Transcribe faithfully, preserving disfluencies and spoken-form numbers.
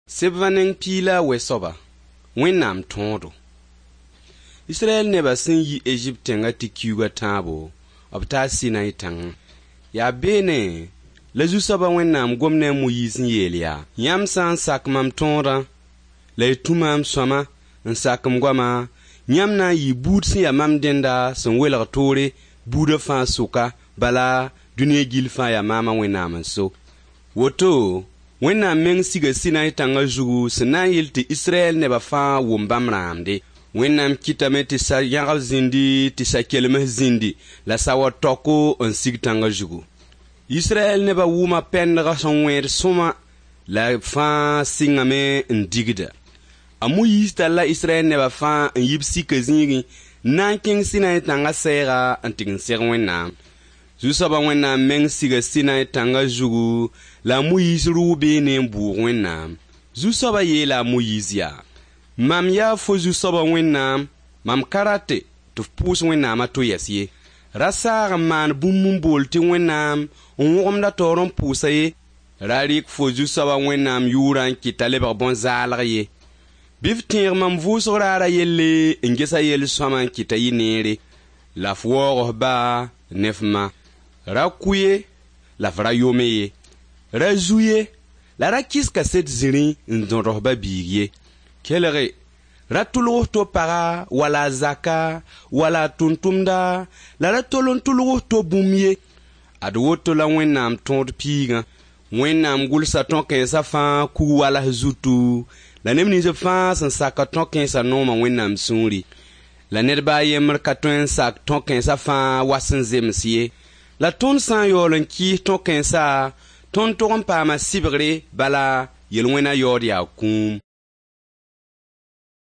Sebã neng piig la a wɛ soaba, Wẽnnaam tõodo. Israɛl nebã sẽn yi Ezipt tẽngã tɩ kiuug a tãabo, b taa Sinai tãngẽ. Yaa beene la Zu-soabã Wẽnnaam gom ne a Moyiis n yeel yaa: Yãmb sã n sak mam tõodã, la y tũ maam sõama n sak m goama, yãmb na n yɩɩ buud sẽn ya mam dẽnda sẽn welg toore buudã fãa sʋka, bala dũniyã gill fãa yaa maamã Wẽnnaam n so. Woto Wẽnnaam meng siga Sinai tãngã zugu sẽn na n yɩl tɩ Israɛl nebã fãa wʋm bãmb rãamde. Wẽnnaam kɩtame tɩ sa-yãgb zĩndi, tɩ sa-kelms zĩndi, la saood taoko n sig tãngã zugu. Israɛl nebã wʋma pɛndg sẽn wẽed sõma la fãa sɩngame n digda. A Moyiis talla Israɛl nebã fãa n yi b sika zĩigẽ n na n kẽng Sinai tãngã sɛɛga n tɩ n seg Wẽnnaam. Zu-soabã Wẽnnaam meng siga Sinai tãngã zugu la a Moyiis rʋʋ beene n bʋʋg Wẽnnaam. Zu-soabã yeela a Moyiis yaa: Mam yaa fo Zu-soabã Wẽnnaam, mam ka rate tɩ f pʋʋs Wẽnnaam a to yɛs ye. Ra saag n maan bũmb n bool tɩ Wẽnnaam n wõgemd a taoor n pʋʋsa ye. Ra rɩk fo Zu-soabã Wẽnnaam yʋʋrã n kɩt t'a lebg bõn-zaalg ye. Bɩ f tẽeg mam vʋʋsg raarã yelle n ges a yel-sõama n kɩt t'a yɩ neere, la f waoog f ba ne f ma. Ra kʋ ye, la f ra yome ye. Ra zu ye, la ra kɩs kaset zĩrĩ n zõd f ba-biig ye. Kelge, ra tʋlg f to paga wala a zaka wala a tʋm-tʋmda la ra tol n tʋlg f to bũmb ye. Ad woto la Wẽnnaam tõod piigã. Wẽnnaam gʋlsa tõ-kãensã fãa kug walas zutu, la neb nins fãa sẽn sak tõ-kãensã nooma Wẽnnaam sũuri. La ned ba a yembr ka tõe n sak tõ-kãensã fãa wa sẽn zems ye. La tõnd sã n yaool n kɩɩs tõ-kãensa, tõnd tog n paama sɩbgre, bala yel-wẽna yaood yaa kũum.